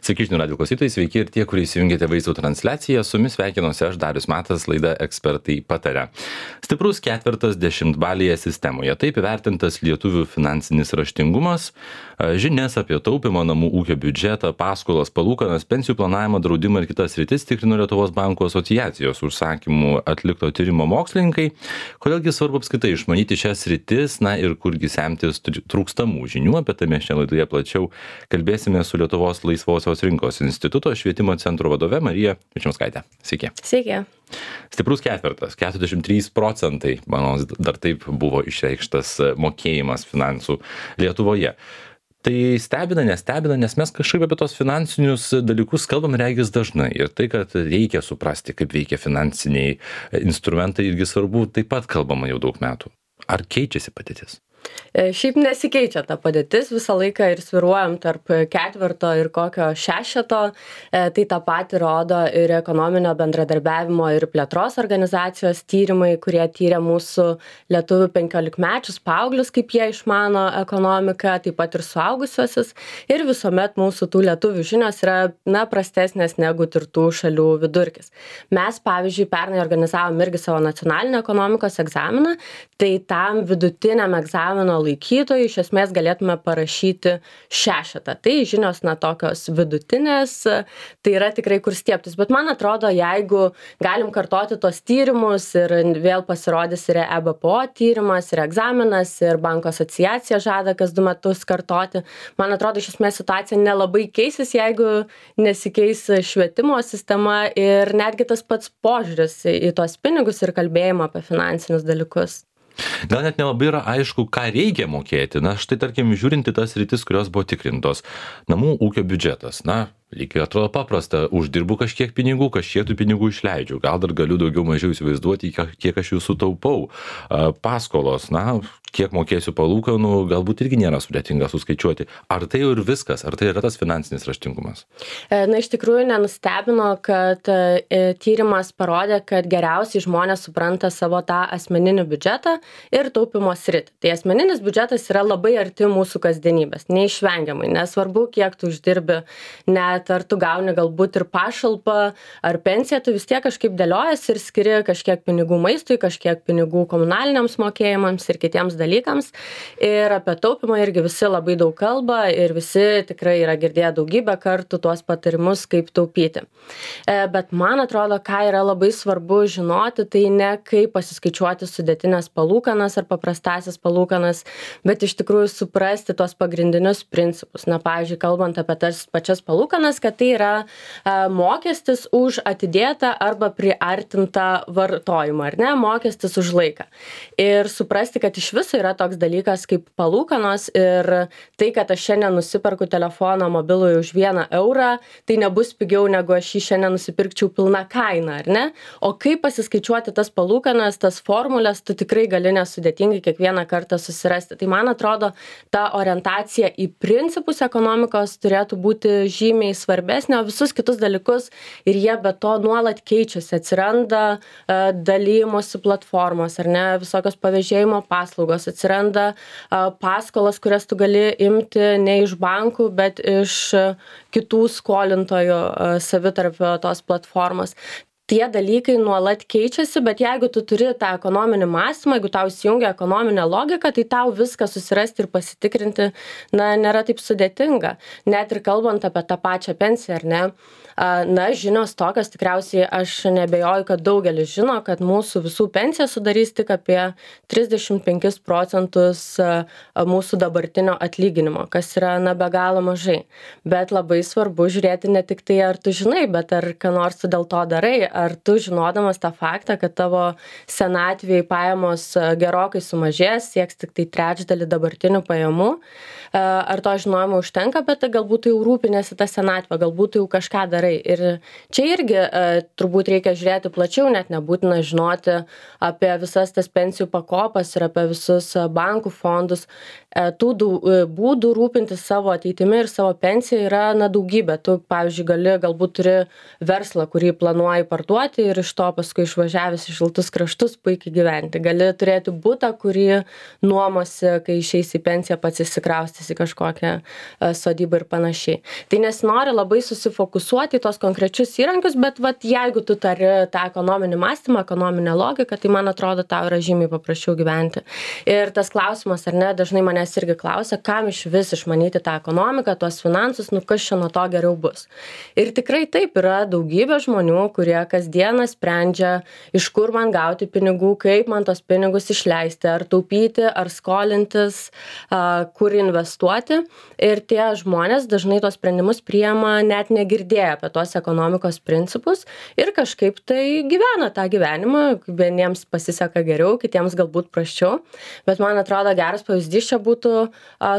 Sveiki, žinių radijo klausytojai, sveiki ir tie, kurie įsijungėte vaizdo transliaciją. Su jumis sveikinuosi aš, Darius Matas, laida Ekspertai pataria. Stiprus ketvirtas dešimtbalėje sistemoje. Taip įvertintas lietuvių finansinis raštingumas, žinias apie taupimo, namų ūkio biudžetą, paskolas, palūkanas, pensijų planavimą, draudimą ir kitas sritis tikrino Lietuvos bankų asociacijos užsakymų atlikto tyrimo mokslininkai. Kodėlgi svarbu apskritai išmanyti šias sritis, na ir kurgi semtis trūkstamų žinių, apie tai mes šią laidoje plačiau kalbėsime su Lietuvos laisvosios rinkos instituto švietimo centro vadove Marija Vičemskaite. Sveiki. Sveiki. Stiprus ketvirtas, 43%, manau, dar taip buvo išreikštas mokėjimas finansų Lietuvoje. Tai stebina, nestebina, nes mes kažkaip apie tos finansinius dalykus kalbam regis dažnai. Ir tai, kad reikia suprasti, kaip veikia finansiniai instrumentai, irgi svarbu, taip pat kalbama jau daug metų. Ar keičiasi padėtis? Šiaip nesikeičia ta padėtis, visą laiką ir sviruojam tarp ketvirto ir kokio šešeto, tai tą patį rodo ir ekonominio bendradarbiavimo ir plėtros organizacijos tyrimai, kurie tyrė mūsų lietuvių 15-mečius paauglius, kaip jie išmano ekonomiką, taip pat ir suaugusiuosius, ir visuomet mūsų tų lietuvių žinios yra prastesnės negu tirtų šalių vidurkis. Mes, pavyzdžiui, pernai organizavom irgi savo nacionalinį ekonomikos egzaminą, tai tam vidutiniam egzamino laikytojui iš esmės galėtume parašyti šešetą. Tai žinios tokios vidutinės, tai yra tikrai kur stiebtis. Bet man atrodo, jeigu galim kartoti tos tyrimus ir vėl pasirodys ir EBPO tyrimas, ir egzaminas, ir banko asociacija žada kas 2 metus kartoti, man atrodo, iš esmės situacija nelabai keisis, jeigu nesikeis švietimo sistema ir netgi tas pats požiūris į tuos pinigus ir kalbėjimą apie finansinius dalykus. Gal net nelabai yra aišku, ką reikia mokėti. Na, štai tarkim, žiūrinti tas rytis, kurios buvo tikrintos. Namų ūkio biudžetas. Na, lygiai atrodo paprasta. Uždirbu kažkiek pinigų, kažkiek tų pinigų išleidžiu. Gal dar galiu daugiau mažiau įsivaizduoti, kiek aš jų sutaupau. Paskolos, na, kiek mokėsiu palūkanų, galbūt irgi nėra sudėtinga suskaičiuoti. Ar tai jau ir viskas? Ar tai yra tas finansinis raštingumas? Na, iš tikrųjų nenustebino, kad tyrimas parodė, kad geriausiai žmonės supranta savo tą asmeninį biudžetą ir taupimo sritį. Tai asmeninis biudžetas yra labai arti mūsų kasdienybės, neišvengiamai. Nesvarbu, kiek tu uždirbi, net ar tu gauni galbūt ir pašalpą ar pensiją, tu vis tiek kažkaip dėliojasi ir skiri kažkiek pinigų maistui, kažkiek pinigų komunaliniams mokėjimams ir kitiems dalykams. Ir apie taupimą irgi visi labai daug kalba ir visi tikrai yra girdėję daugybę kartų tuos patarimus, kaip taupyti. Bet man atrodo, ką yra labai svarbu žinoti, tai ne kaip pasiskaičiuoti sudėtinės palūkanas ar paprastasias palūkanas, bet iš tikrųjų suprasti tuos pagrindinius principus. Na, pavyzdžiui, kalbant apie tas pačias palūkanas, kad tai yra mokestis už atidėtą arba priartintą vartojimą, ar ne, mokestis už laiką. Ir suprasti, kad iš viso yra toks dalykas kaip palūkanos ir tai, kad aš šiandien nusiperku telefoną mobilųjį už 1 eurą, tai nebus pigiau, negu aš jį šiandien nusipirkčiau pilną kainą, ar ne? O kaip pasiskaičiuoti tas palūkanas, tas formulės, tu tikrai gali nesudėtingai kiekvieną kartą susirasti. Tai man atrodo, ta orientacija į principus ekonomikos turėtų būti žymiai svarbesnė, o visus kitus dalykus ir jie be to nuolat keičiasi. Atsiranda dalymosi platformos, ar ne, visokios pavėžėjimo paslaugos, atsiranda paskolas, kurias tu gali imti ne iš bankų, bet iš kitų skolintojų savitarpio tos platformos. Tie dalykai nuolat keičiasi, bet jeigu tu turi tą ekonominį mąstymą, jeigu tau įsijungia ekonominė logika, tai tau viską susirasti ir pasitikrinti, nėra taip sudėtinga. Net ir kalbant apie tą pačią pensiją, ar ne? Žinios tokios, tikriausiai aš nebejoju, kad daugelis žino, kad mūsų visų pensija sudarys tik apie 35% mūsų dabartinio atlyginimo, kas yra be galo mažai. Bet labai svarbu žiūrėti ne tik tai, ar tu žinai, bet ar ką nors tu dėl to darai, ar tu žinodamas tą faktą, kad tavo senatvėje pajamos gerokai sumažės, sieks tik tai trečdalį dabartinių pajamų, ar to žinojimo užtenka, bet galbūt jau rūpinėsi tą senatvę, galbūt jau kažką darai. Ir čia irgi turbūt reikia žiūrėti plačiau, net nebūtina žinoti apie visas tas pensijų pakopas ir apie visus bankų fondus. Tų būdų rūpintis savo ateitimi ir savo pensija yra daugybė. Tu, pavyzdžiui, galbūt turi verslą, kurį planuoji parduoti sportuoti ir iš to paskui išvažiavęs į šiltus kraštus puikiai gyventi. Gali turėti butą, kurį nuomosi, kai išeisi į pensiją, pats įsikraustys į kažkokią sodybą ir panašiai. Tai nesinori labai susifokusuoti į tos konkrečius įrankius, bet vat, jeigu tu tari tą ekonominį mąstymą, ekonominę logiką, tai man atrodo, tau yra žymiai paprasčiau gyventi. Ir tas klausimas, ar ne, dažnai manęs irgi klausia, kam iš vis išmanyti tą ekonomiką, tuos finansus, kas čia nuo to geriau bus. Ir tikrai taip, yra daugybė žmonių, kurie kasdieną sprendžia, iš kur man gauti pinigų, kaip man tos pinigus išleisti, ar taupyti, ar skolintis, kur investuoti. Ir tie žmonės dažnai tos sprendimus priima net negirdėję apie tos ekonomikos principus ir kažkaip tai gyvena tą gyvenimą. Vieniems pasiseka geriau, kitiems galbūt prasčiau. Bet man atrodo, geras pavyzdys čia būtų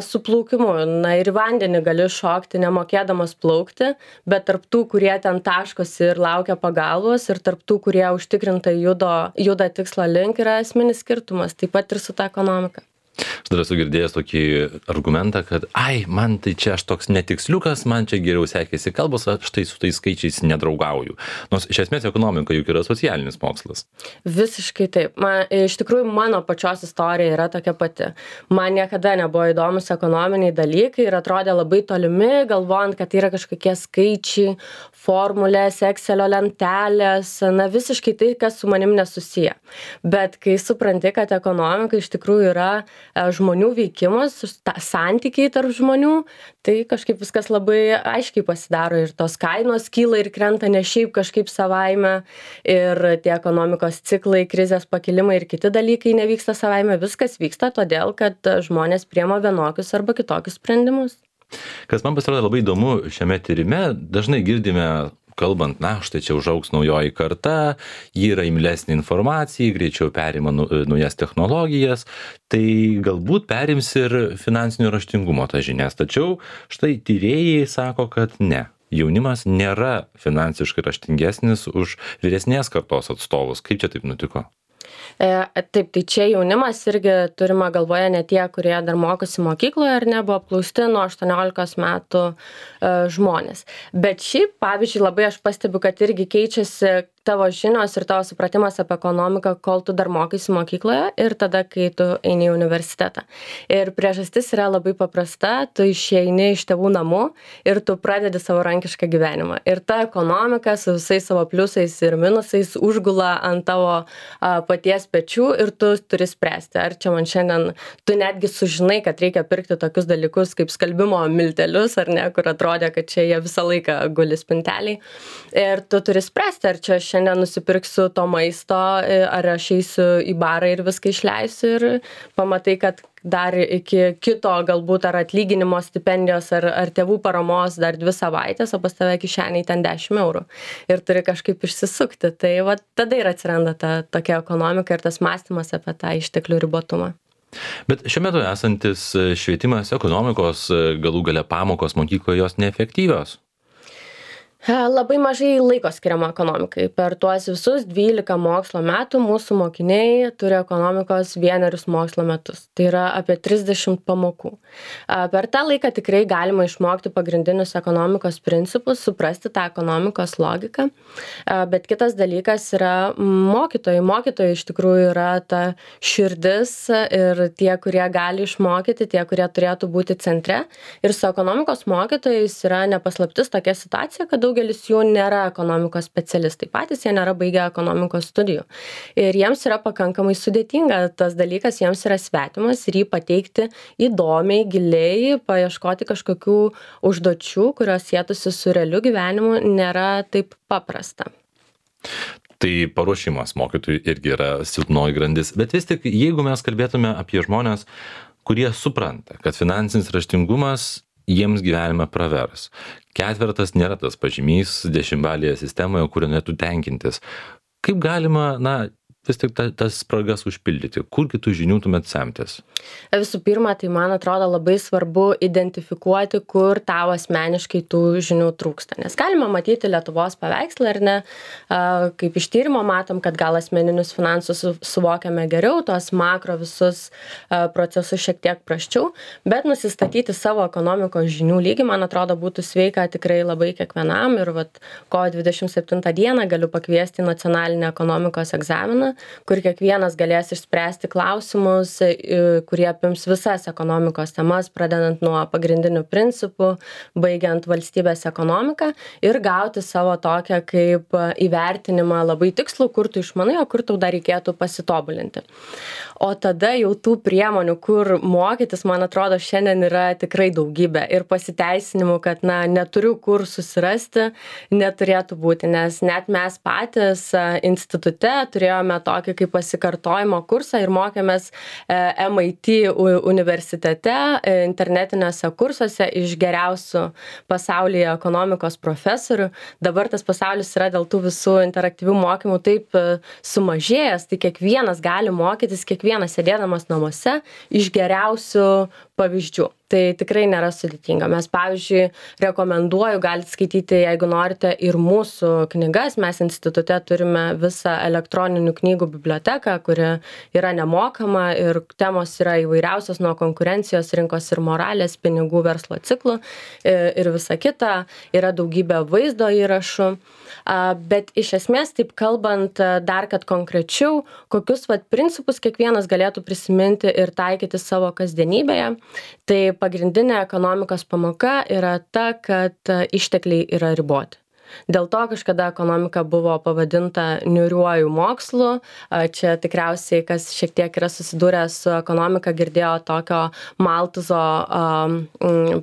su plaukimu. Na ir vandenį gali šokti nemokėdamas plaukti, bet tarp tų, kurie ten taškosi ir laukia pagalbos, ir tarp tų, kurie užtikrintai juda tikslo link, yra esminis skirtumas, taip pat ir su ta ekonomika. Aš dar esu girdėjęs tokį argumentą, kad man tai čia aš toks netiksliukas, man čia geriau sekėsi kalbos, aš tai su tais skaičiais nedraugauju. Nors iš esmės ekonomika juk yra socialinis mokslas. Visiškai taip. Iš tikrųjų, mano pačios istorija yra tokia pati. Man niekada nebuvo įdomus ekonominiai dalykai ir atrodė labai tolimi, galvojant, kad tai yra kažkokie skaičiai, formulės, Excelio lentelės, visiškai tai, kas su manim nesusiję. Bet kai supranti, kad ekonomika iš tikrųjų yra žmonių veikimas, santykiai tarp žmonių, tai kažkaip viskas labai aiškiai pasidaro ir tos kainos kyla ir krenta ne šiaip kažkaip savaime ir tie ekonomikos ciklai, krizės pakilimai ir kiti dalykai nevyksta savaime, viskas vyksta todėl, kad žmonės priema vienokius arba kitokius sprendimus. Kas man pasirodė labai įdomu šiame tyrime, dažnai girdime kalbant, štai čia užaugs naujoji karta, ji yra imlesnė informacijai, greičiau perima naujas technologijas, tai galbūt perims ir finansinio raštingumo tas žinias. Tačiau štai tyrėjai sako, kad ne. Jaunimas nėra finansiškai raštingesnis už vyresnės kartos atstovus. Kaip čia taip nutiko? Taip, tai čia jaunimas irgi turima galvoje ne tie, kurie dar mokosi mokykloje ar ne, buvo apklausti nuo 18 metų žmonės. Bet šiaip, pavyzdžiui, labai aš pastebiu, kad irgi keičiasi tavo žinios ir tavo supratimas apie ekonomiką, kol tu dar mokaisi mokykloje ir tada, kai tu eini į universitetą. Ir priežastis yra labai paprasta, tu išeini iš tėvų namų ir tu pradedi savarankišką gyvenimą. Ir ta ekonomika su visais savo pliusais ir minusais užgula ant tavo paties pečių ir tu turi spręsti. Ar čia man šiandien, tu netgi sužinai, kad reikia pirkti tokius dalykus kaip skalbimo miltelius, ar ne, kur atrodė, kad čia jie visą laiką guli spinteliai. Ir tu turi spręsti, ar čia šiandien nusipirksiu to maisto, ar aš eisiu į barą ir viską išleisiu ir pamatai, kad dar iki kito galbūt ar atlyginimo stipendijos ar tėvų paramos dar 2 savaitės, o pas tave kišeniai ten 10 eurų. Ir turi kažkaip išsisukti. Tai va, tada ir atsiranda ta tokia ekonomika ir tas mąstymas apie tą išteklių ribotumą. Bet šiuo metu esantis švietimas, ekonomikos, galų gale pamokos mokykloje jos neefektyvios. Labai mažai laiko skiriama ekonomikai. Per tuos visus 12 mokslo metų mūsų mokiniai turi ekonomikos 1 mokslo metus. Tai yra apie 30 pamokų. Per tą laiką tikrai galima išmokti pagrindinius ekonomikos principus, suprasti tą ekonomikos logiką. Bet kitas dalykas yra mokytojai. Mokytojai iš tikrųjų yra ta širdis ir tie, kurie gali išmokyti, tie, kurie turėtų būti centre. Ir su ekonomikos mokytojais yra nepaslaptis tokia situacija, kad daugelis jų nėra ekonomikos specialistai. Patys jie nėra baigę ekonomikos studijų. Ir jiems yra pakankamai sudėtinga tas dalykas, jiems yra svetimas ir jį pateikti įdomiai, giliai, paieškoti kažkokių užduočių, kurios sėtųsi su realiu gyvenimu, nėra taip paprasta. Tai paruošimas mokytojų irgi yra silpnoji grandis. Bet vis tik, jeigu mes kalbėtume apie žmonės, kurie supranta, kad finansinis raštingumas jiems gyvenime pravers. 4 nėra tas pažymys 10-balėje sistemoje, kurio netu tenkintis. Kaip galima, vis tik tas spragas užpildyti? Kur kitų žinių tuomet semtis? Visų pirma, tai man atrodo labai svarbu identifikuoti, kur tau asmeniškai tų žinių trūksta. Nes galima matyti Lietuvos paveikslą, ar ne, kaip iš tyrimo matom, kad gal asmeninius finansus suvokiame geriau, tos makro visus procesus šiek tiek prasčiau, bet nusistatyti savo ekonomikos žinių lygį, man atrodo, būtų sveika tikrai labai kiekvienam. Ir kovo 27 dieną galiu pakviesti nacionalinį ekonomikos egzaminą, kur kiekvienas galės išspręsti klausimus, kurie apims visas ekonomikos temas, pradedant nuo pagrindinių principų, baigiant valstybės ekonomiką ir gauti savo tokią kaip įvertinimą labai tikslų, kur tu išmanai, o kur tau dar reikėtų pasitobulinti. O tada jau tų priemonių, kur mokytis, man atrodo, šiandien yra tikrai daugybė ir pasiteisinimų, kad neturiu kur susirasti, neturėtų būti, nes net mes patys institute turėjome tokį kaip pasikartojimo kursą ir mokėmės MIT universitete, internetiniuose kursuose iš geriausių pasaulyje ekonomikos profesorių. Dabar tas pasaulis yra dėl tų visų interaktyvių mokymų taip sumažėjęs, tai kiekvienas gali mokytis, kiekvienas sėdėdamas namuose iš geriausių pavyzdžių. Tai tikrai nėra sudėtinga. Mes, pavyzdžiui, rekomenduoju, galite skaityti, jeigu norite, ir mūsų knygas. Mes institute turime visą elektroninių knygų biblioteką, kuri yra nemokama ir temos yra įvairiausios nuo konkurencijos, rinkos ir moralės, pinigų, verslo ciklų ir visa kita. Yra daugybė vaizdo įrašų. Bet iš esmės, taip kalbant dar kad konkrečiau, kokius principus kiekvienas galėtų prisiminti ir taikyti savo kasdienybėje, tai pagrindinė ekonomikos pamoka yra ta, kad ištekliai yra riboti. Dėl to kažkada ekonomika buvo pavadinta niūriuoju mokslu. Čia tikriausiai, kas šiek tiek yra susidūrę su ekonomika, girdėjo tokio Maltuzo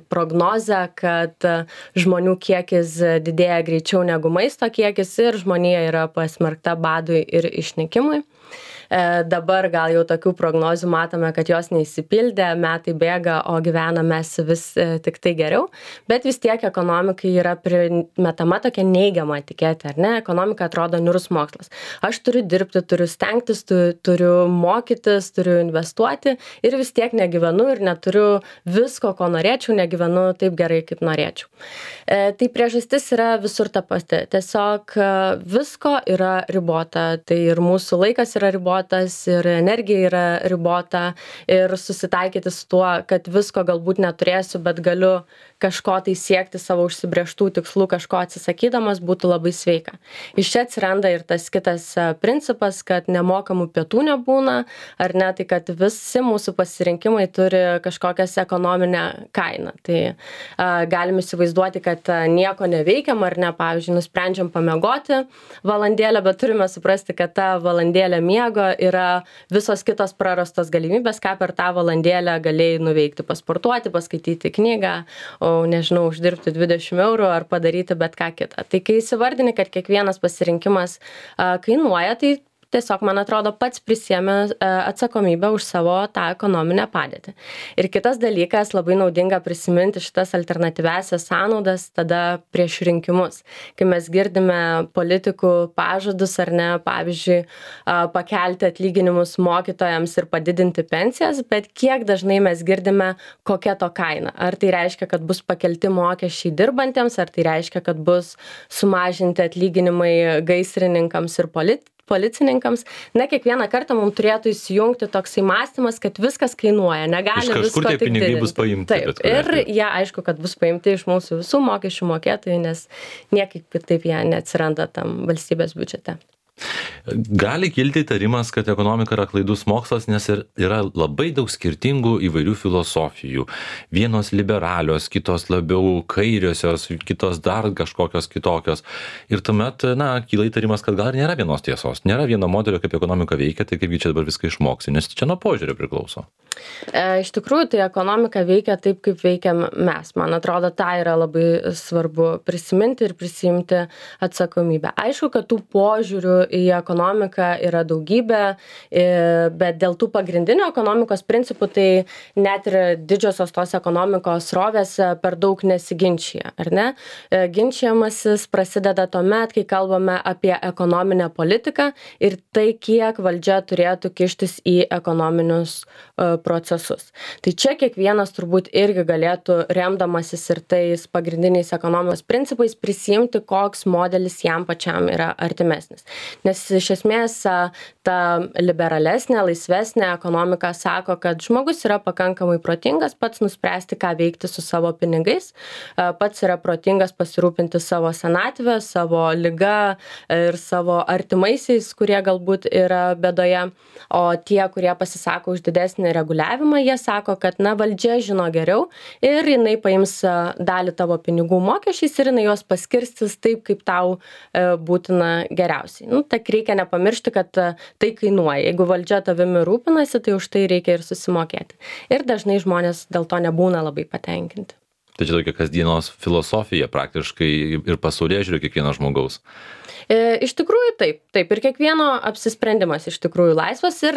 prognozę, kad žmonių kiekis didėja greičiau negu maisto kiekis ir žmonija yra pasmerkta badui ir išnykimui. Dabar gal jau tokių prognozių matome, kad jos neįsipildė, metai bėga, o gyvename mes vis tik tai geriau, bet vis tiek ekonomikai yra primetama tokia neigiama etiketė, ar ne? Ekonomika atrodo niūrus mokslas. Aš turiu dirbti, turiu stengtis, turiu mokytis, turiu investuoti ir vis tiek negyvenu ir neturiu visko, ko norėčiau, negyvenu taip gerai, kaip norėčiau. Tai priežastis yra visur ta pati. Tiesiog visko yra ribota, tai ir mūsų laikas yra ribotas, ir energija yra ribota ir susitaikyti su tuo, kad visko galbūt neturėsiu, bet galiu kažko tai siekti savo užsibrėžtų tikslų, kažko atsisakydamas būtų labai sveika. Iš čia atsiranda ir tas kitas principas, kad nemokamų pietų nebūna, ar ne, tai kad visi mūsų pasirinkimai turi kažkokias ekonominę kainą. Tai galim įsivaizduoti, kad nieko neveikiam, ar ne, pavyzdžiui, nusprendžiam pamiegoti valandėlę, bet turime suprasti, kad ta valandėlė miego yra visos kitos prarastos galimybės, ką per tą valandėlę galėjai nuveikti, pasportuoti, paskaityti knygą, nežinau, uždirbti 20 eurų ar padaryti bet ką kitą. Tai kai įsivardini, kad kiekvienas pasirinkimas kainuoja, tai tiesiog, man atrodo, pats prisiėmė atsakomybę už savo tą ekonominę padėtį. Ir kitas dalykas, labai naudinga prisiminti šitas alternatyviasias sąnaudas tada prieš rinkimus. Kai mes girdime politikų pažadus ar ne, pavyzdžiui, pakelti atlyginimus mokytojams ir padidinti pensijas, bet kiek dažnai mes girdime, kokia to kaina. Ar tai reiškia, kad bus pakelti mokesčiai dirbantiems, ar tai reiškia, kad bus sumažinti atlyginimai gaisrininkams ir policininkams. Kiekvieną kartą mums turėtų įsijungti toksai mąstymas, kad viskas kainuoja, negali visko tik didinti. Iš kažkur tie pinigai bus paimti. Taip, ir jie aišku, kad bus paimti iš mūsų visų mokesčių mokėtojų, nes niekaip kitaip jie neatsiranda tam valstybės biudžete. Gali kilti įtarimas, kad ekonomika yra klaidus mokslas, nes yra labai daug skirtingų įvairių filosofijų. Vienos liberalios, kitos labiau kairiosios, kitos dar kažkokios kitokios. Ir tuomet, kyla įtarimas, kad gal nėra vienos tiesos, nėra vieno modelio, kaip ekonomika veikia, tai kaipgi čia dabar viską išmoksi, nes čia nuo požiūrio priklauso. Iš tikrųjų, tai ekonomika veikia taip, kaip veikiam mes. Man atrodo, tai yra labai svarbu prisiminti ir prisiimti atsakomybę. Aišku, kad tų požiūrių į ekonomiką yra daugybė, bet dėl tų pagrindinių ekonomikos principų tai net ir didžiosios tos ekonomikos srovės per daug nesiginčia, ar ne? Ginčiamasis prasideda tuomet, kai kalbame apie ekonominę politiką ir tai, kiek valdžia turėtų kištis į ekonominius procesus. Tai čia kiekvienas turbūt irgi galėtų, remdamasis ir tais pagrindiniais ekonomikos principais, prisimti, koks modelis jam pačiam yra artimesnis. Nes iš esmės ta liberalesnė, laisvesnė ekonomika sako, kad žmogus yra pakankamai protingas pats nuspręsti, ką veikti su savo pinigais, pats yra protingas pasirūpinti savo senatvę, savo ligą ir savo artimaisiais, kurie galbūt yra bėdoje, o tie, kurie pasisako už didesnį reguliavimą, jie sako, kad valdžia žino geriau ir jinai paims dalį tavo pinigų mokesčiais ir jinai juos paskirstys taip, kaip tau būtina geriausiai. Tak reikia nepamiršti, kad tai kainuoja. Jeigu valdžia tavimi rūpinasi, tai už tai reikia ir susimokėti. Ir dažnai žmonės dėl to nebūna labai patenkinti. Tai čia tokia kasdienos filosofija praktiškai ir pasaulėžiūra kiekvieno žmogaus. Iš tikrųjų taip. Ir kiekvieno apsisprendimas iš tikrųjų laisvas ir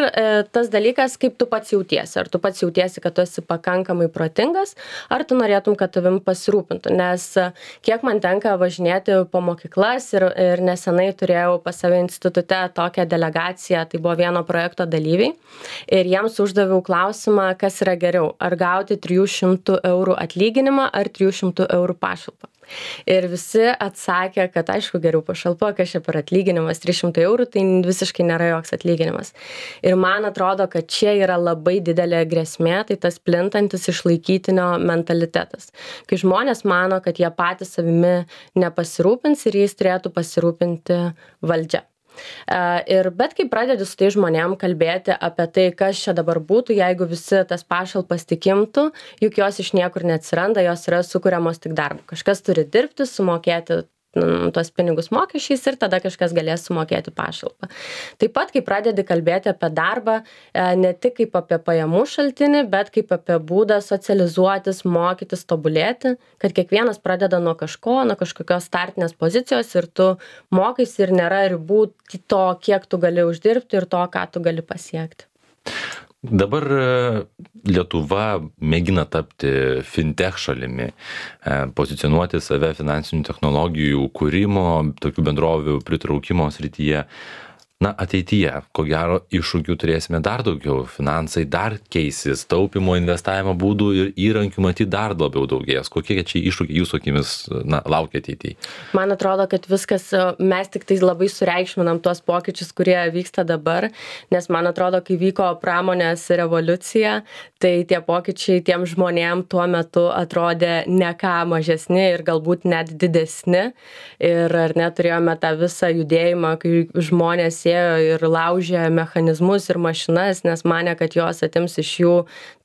tas dalykas, kaip tu pats jautiesi. Ar tu pats jautiesi, kad tu esi pakankamai protingas, ar tu norėtum, kad tavim pasirūpintų. Nes kiek man tenka važinėti po mokyklas ir nesenai turėjau pas save institute tokią delegaciją, tai buvo vieno projekto dalyviai. Ir jiems uždaviau klausimą, kas yra geriau. Ar gauti 300 eurų atlyginimą, ar 300 eurų pašalpą. Ir visi atsakė, kad aišku geriau pašalpa, kas čia per atlyginimas, 300 eurų, tai visiškai nėra joks atlyginimas. Ir man atrodo, kad čia yra labai didelė grėsmė, tai tas plintantis išlaikytinio mentalitetas. Kai žmonės mano, kad jie patys savimi nepasirūpins ir jais turėtų pasirūpinti valdžia. Bet kai pradedi su tai žmonėm kalbėti apie tai, kas čia dabar būtų, jeigu visi tas pašalpas tik imtų, juk jos iš niekur neatsiranda, jos yra sukuriamos tik darbu. Kažkas turi dirbti, sumokėti tuos pinigus mokesčiais ir tada kažkas galės sumokėti pašalpą. Taip pat, kai pradedi kalbėti apie darbą, ne tik kaip apie pajamų šaltinį, bet kaip apie būdą socializuotis, mokytis, tobulėti, kad kiekvienas pradeda nuo kažko, nuo kažkokios startinės pozicijos ir tu mokaisi ir nėra ribų to, kiek tu gali uždirbti ir to, ką tu gali pasiekti. Dabar Lietuva mėgina tapti fintech šalimi, pozicionuoti save finansinių technologijų kūrimo, tokių bendrovių pritraukimo srityje. Ateityje, ko gero, iššūkių turėsime dar daugiau. Finansai dar keisis, taupimo, investavimo būdų ir įrankių matyti dar labiau daugės. Kokie čia iššūkiai jūsų akimis laukia ateityje? Man atrodo, kad viskas, mes tik tai labai sureikšminam tuos pokyčius, kurie vyksta dabar, nes man atrodo, kai vyko pramonės revoliucija, tai tie pokyčiai tiem žmonėm tuo metu atrodė ne ką mažesni ir galbūt net didesni. Ir ar neturėjome tą visą judėjimą, kai žmonės ir laužė mechanizmus ir mašinas, nes manė, kad jos atims iš jų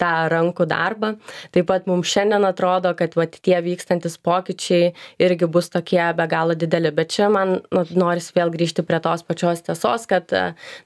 tą rankų darbą. Taip pat mums šiandien atrodo, kad tie vykstantis pokyčiai irgi bus tokie be galo dideli. Bet čia man norisi vėl grįžti prie tos pačios tiesos, kad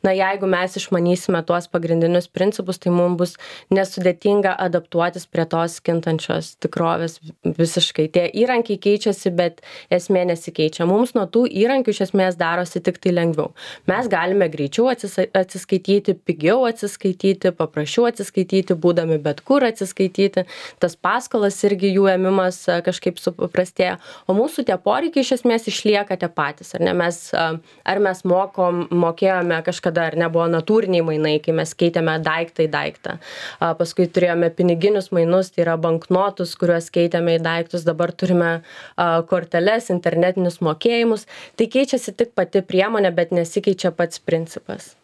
jeigu mes išmanysime tuos pagrindinius principus, tai mums bus nesudėtinga adaptuotis prie tos kintančios tikrovės visiškai. Tie įrankiai keičiasi, bet esmė nesikeičia. Mums nuo tų įrankių iš esmės darosi tik tai lengviau. Mes galime greičiau atsiskaityti, pigiau atsiskaityti, paprasčiau atsiskaityti, būdami bet kur atsiskaityti. Tas paskolas irgi jų ėmimas kažkaip supaprastėja. O mūsų tie poreikiai iš esmės išlieka tie patys. Ar mes mokėjome kažkada, ar nebuvo natūriniai mainai, kai mes keitėme daiktą į daiktą. Paskui turėjome piniginius mainus, tai yra banknotus, kuriuos keitėme į daiktus. Dabar turime korteles, internetinius mokėjimus. Tai keičiasi tik pati priemonė, bet nesikeičia pats principas.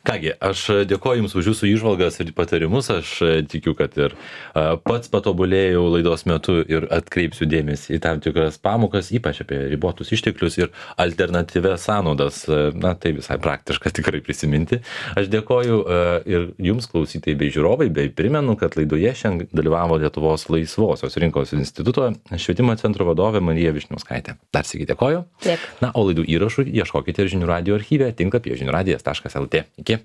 Kągi, aš dėkoju Jums už Jūsų įžvalgas ir patarimus. Aš tikiu, kad ir pats patobulėjau laidos metu ir atkreipsiu dėmesį į tam tikras pamokas, ypač apie ribotus išteklius ir alternatyvias sąnaudas. Tai visai praktiška tikrai prisiminti. Aš dėkoju ir Jums, klausytojai bei žiūrovai, bei primenu, kad laidoje šiandien dalyvavo Lietuvos laisvosios rinkos instituto švietimo centro vadovė Marija Vyšniauskaitė. Dar sykį dėkoju. O laidų įrašų ieškokite ir Žinių radijo archyve tinklapyje žiniųradijas.lt. Iki.